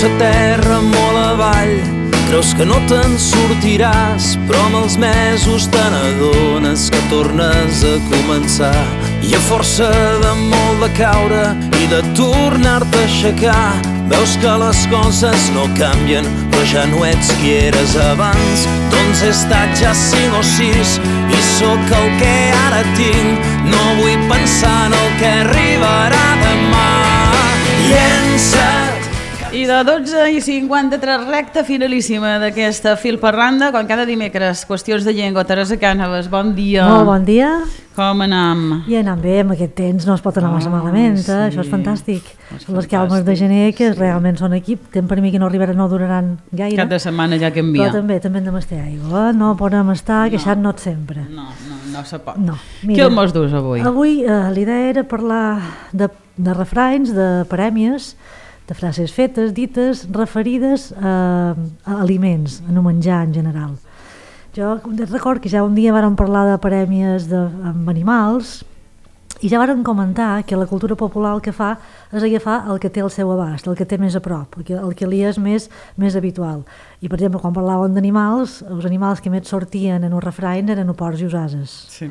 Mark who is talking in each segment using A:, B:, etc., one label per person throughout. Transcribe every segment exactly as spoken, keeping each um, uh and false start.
A: sa terra molt avall. Creus que no te'n sortiràs, però amb els mesos te n'adones que tornes a començar. I a força de molt de caure i de tornar-te a aixecar, veus que les coses no canvien, però ja no ets qui eres abans. Doncs he estat ja cinc o sis i sóc el que ara tinc. No vull pensar en el que arribarà demà. Llença't.
B: I de dotze i cinquanta-tres, recta finalíssima d'aquesta Fil per Randa, com cada dimecres, qüestions de llengua. Teresa Cànovas, bon dia.
C: Molt bon dia.
B: Com anam?
C: I anam bé, amb aquest temps no es pot anar oh, massa malament, eh? Sí. Això és fantàstic. És les calmes de gener, que sí. Realment són aquí, temps per mi que no arribaran, no duraran gaire.
B: Cap de setmana ja canvia.
C: Però també, també hem de mestar aigua, no podem estar no. queixant-nos sempre.
B: No, no, no se pot.
C: No.
B: Què el mos dus avui?
C: Avui eh, l'idea era parlar de, de refranys, de parèmies, de frases fetes, dites, referides a, a aliments, a no menjar en general. Jo record que ja un dia vàrem parlar de parèmies de, amb animals i ja vàrem comentar que la cultura popular el que fa és agafar el que té al seu abast, el que té més a prop, el que, el que li és més, més habitual. I per exemple, quan parlàvem d'animals, els animals que més sortien en un refrany eren porcs i ases.
B: Sí.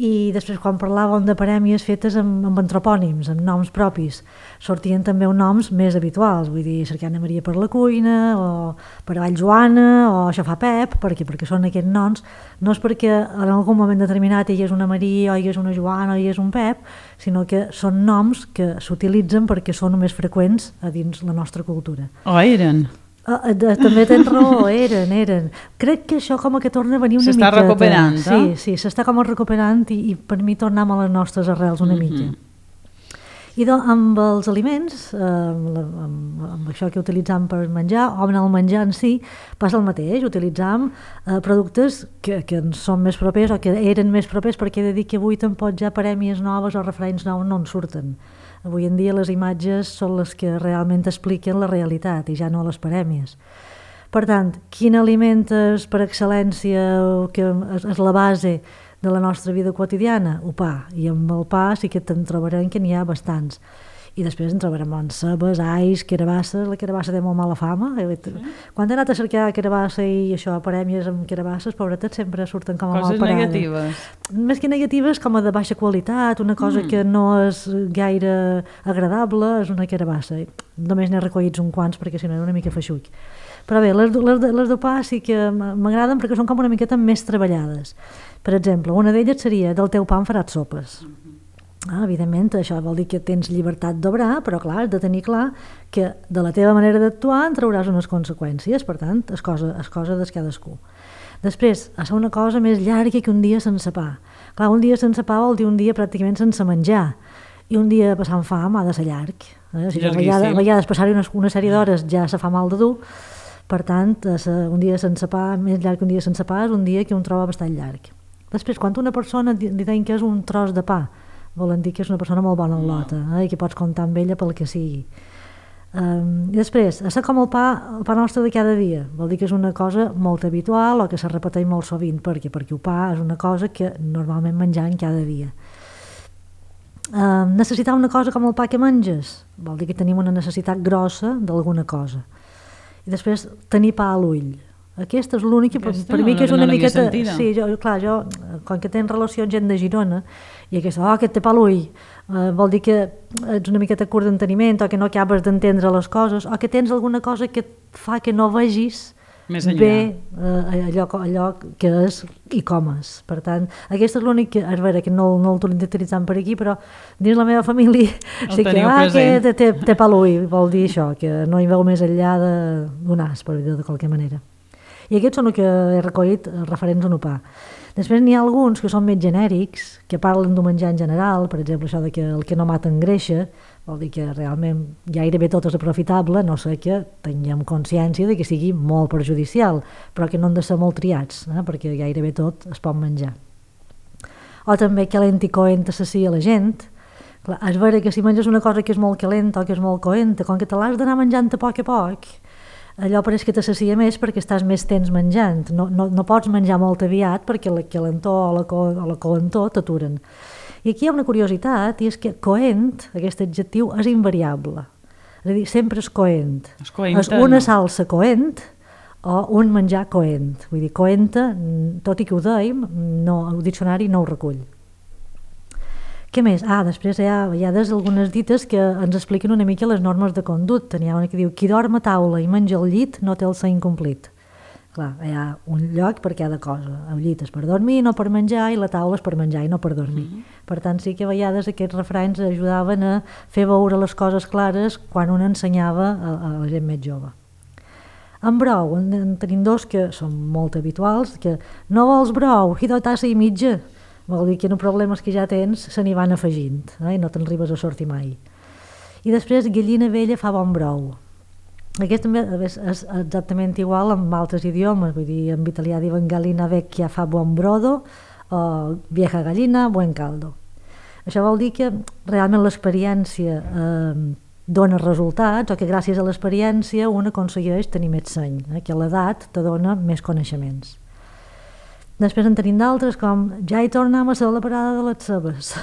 C: I després quan parlàvem de parèmies fetes amb, amb antropònims, amb noms propis, sortien també uns noms més habituals, vull dir, cercant Maria per la cuina, o per avall Joana, o això fa Pep, perquè, perquè són aquests noms, no és perquè en algun moment determinat hi és una Maria, o hi és una Joana, o hi és un Pep, sinó que són noms que s'utilitzen perquè són més freqüents a dins la nostra cultura.
B: O eren?
C: Uh, de, també tens raó, eren, eren. Crec que això com que torna a venir una miqueta.
B: S'està recuperant,
C: sí, eh? Sí, s'està com recuperant i, i per mi tornem a les nostres arrels una mm-hmm. mica. I doncs amb els aliments, eh, amb, amb, amb això que utilitzam per menjar, o amb el menjar en si, passa el mateix, utilitzam eh, productes que, que ens són més propers o que eren més propers, perquè he de dir que avui tampoc ja parèmies noves o refranys nous no en surten. Avui en dia les imatges són les que realment expliquen la realitat i ja no les parèmies. Per tant, quin aliment és per excel·lència que és la base de la nostra vida quotidiana? El pa. I amb el pa sí que te'n trobarem que n'hi ha bastants. I després en trobarem en cebes, ais, carabasses. La carabassa té molt mala fama. Sí. Quan he anat a cercar carabassa i això, parèmies amb carabasses, pobretes, sempre surten com a mal parades.
B: Coses negatives.
C: Més que negatives, com a de baixa qualitat, una cosa mm. que no és gaire agradable, és una carabassa. Només n'he recollits uns quants perquè si no era una mica feixuc. Però bé, les, les, les de pa sí que m'agraden perquè són com una miqueta més treballades. Per exemple, una d'elles seria del teu pa en faràs sopes. Mm-hmm. Ah, evidentment, això vol dir que tens llibertat d'obrar, però clar, has de tenir clar que de la teva manera d'actuar en trauràs unes conseqüències, per tant, és cosa, és cosa de cadascú. Després, ha de ser una cosa més llarga que un dia sense pa. Clar, un dia sense pa vol dir un dia pràcticament sense menjar, i un dia passant fam ha de ser llarg. Eh? Si a vegades, a vegades passar-hi una, una sèrie d'hores ja se fa mal de dur, per tant, un dia sense pa, més llarg que un dia sense pa, és un dia que un troba bastant llarg. Després, quan una persona li diuen que és un tros de pa, volen dir que és una persona molt bona en lota, eh, i que pots comptar amb ella pel que sigui. Um, I després, a ser com el pa, el pa nostre de cada dia, vol dir que és una cosa molt habitual o que se repeteix molt sovint, perquè perquè el pa és una cosa que normalment mengem cada dia. Um, necessitar una cosa com el pa que menges, vol dir que tenim una necessitat grossa d'alguna cosa. I després, tenir pa a l'ull. Aquesta és l'única, per, per
B: no,
C: mi que és una
B: no
C: miqueta... Sí, jo, clar, jo, com que tens relació amb gent de Girona, i aquesta, oh, aquest té pa a l'ull, eh, vol dir que ets una miqueta curt d'enteniment, o que no acabes d'entendre les coses, o que tens alguna cosa que et fa que no vegis bé eh, allò, allò que és i com és. Per tant, aquesta és l'únic que, a veure, que no, no l'utilitzem per aquí, però dins la meva família
B: el
C: sí que, ah, que té, té, té pa a l'ull, vol dir això, que no hi veu més enllà d'un as, per dir-ho de qualque manera. I aquests són el que he recollit referents a un pa. Després n'hi ha alguns que són més genèrics, que parlen d'un menjar en general, per exemple això de que el que no mata engreixa, vol dir que realment gairebé tot és aprofitable, no sé que tinguem consciència de que sigui molt perjudicial, però que no han de ser molt triats, eh? Perquè gairebé tot es pot menjar. O també calent i coent assacia la gent. Clar, és vera que si menges una cosa que és molt calenta o que és molt coenta, com que te l'has d'anar menjant a poc a poc, allò pareix que t'assacia més perquè estàs més temps menjant. No, no, no pots menjar molt aviat perquè la calentor o la, co o la coentor t'aturen. I aquí hi ha una curiositat, i és que coent, aquest adjectiu, és invariable. És a dir, sempre és coent.
B: És coenta,
C: és una
B: no?
C: salsa coent o un menjar coent. Vull dir, coenta, tot i que ho dèiem, no, el diccionari no ho recull. Què més? Ah, després hi ha, hi ha des algunes dites que ens expliquen una mica les normes de conducta. N'hi ha una que diu, qui dorm a taula i menja al llit no té el seny complit. Clar, hi ha un lloc per cada cosa. El llit és per dormir, no per menjar, i la taula és per menjar i no per dormir. Mm -hmm. Per tant, sí que a vegades aquests refranys ajudaven a fer veure les coses clares quan un ensenyava a, a la gent més jove. En brou, en, en tenim dos que són molt habituals, que no vols brou, i de tassa i mitja. Vol dir que en problemes que ja tens se n'hi van afegint, eh? I no te'n arribes a sortir mai. I després, gallina vella fa bon brou. Aquest també és, és exactament igual amb altres idiomes, vull dir, en italià diuen gallina vecchia fa buon brodo, o vieja gallina, buen caldo. Això vol dir que realment l'experiència eh, dona resultats, o que gràcies a l'experiència un aconsegueix tenir més seny, eh? Que l'edat te dona més coneixements. Després en tenim d'altres com ja hi tornem a ser la parada de les cebes.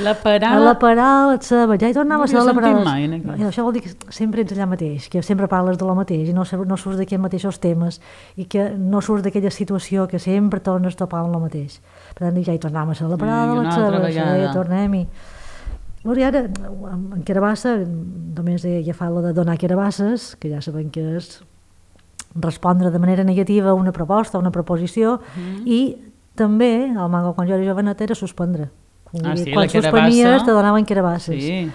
B: La parada...
C: A la parada de les cebes, ja hi tornem
B: no
C: a ser la parada...
B: Mai,
C: no, això vol dir que sempre ets allà mateix, que sempre parles de lo mateix i no, no surts d'aquells mateixos temes i que no surts d'aquella situació que sempre tornes a topar amb lo mateix. Per tant, ja hi tornem a ser la parada de les cebes, ja hi tornem-hi. I ara, en Carabassa, només he agafat la de donar carabasses, que ja sabem que és respondre de manera negativa a una proposta, a una proposició, mm. i també, al mango quan jo era jovenet, era suspendre.
B: Ah, sí,
C: quan suspenies te donaven carabasses.
B: Sí.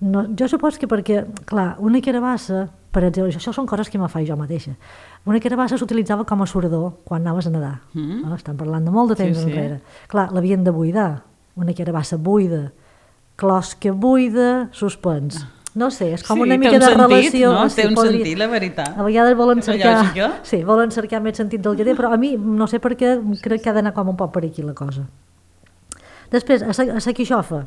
C: No, jo supos que perquè, clar, una carabassa, per exemple, això són coses que me faig jo mateixa, una carabassa s'utilitzava com a surador quan anaves a nedar. Mm. No? Estan parlant de molt de temps sí, enrere. Sí. Clar, l'havien de buidar, una carabassa buida, closca buida, suspens. Ah. No sé, és com
B: sí,
C: una mica de
B: sentit,
C: relació.
B: No?
C: Sí,
B: té un
C: podria...
B: sentit, la veritat.
C: A vegades volen cercar...
B: Sí,
C: volen cercar més sentit del que té, però a mi no sé per què crec que ha d'anar com un poc per aquí la cosa. Després, a sa, a sa quixofa.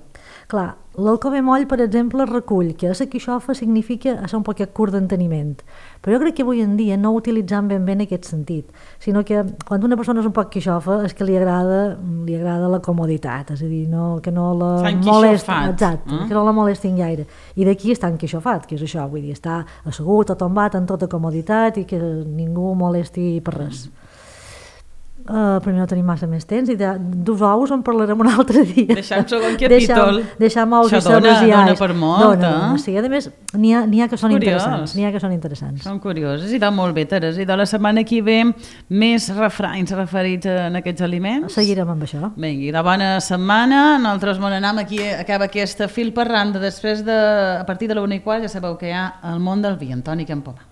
C: Clar, l'Alcover Moll, per exemple, recull que a sa quixofa significa ser un poquet curt d'enteniment. Però jo crec que avui en dia no ho utilitzam ben bé en aquest sentit, sinó que quan una persona és un poc quixofa és que li agrada, li agrada la comoditat, és a dir, no, que no la molesta, exacte, eh? Que no la molestin gaire. I d'aquí està enquixofat, que és això, vull dir, està assegut o tombat en tota comoditat i que ningú molesti per res. Mm. Uh, primer no tenim massa més temps i de, dos ous en parlarem un altre dia.
B: Deixam segon capítol.
C: Deixam ous i cebes i alls. Dona per molt, dona, eh? Sí, a més, n'hi ha, n'hi ha que són Curiós. interessants. N'hi ha que són interessants.
B: Són curioses. I de molt bé, Teresa. I de la setmana que ve, més refranys referits en aquests aliments.
C: Seguirem amb això.
B: Vinga, i de bona setmana. Nosaltres bon anam aquí, acaba aquesta fil parranda. Després de, a partir de la una i quart, ja sabeu que hi ha el món del vi. Antoni Campomà.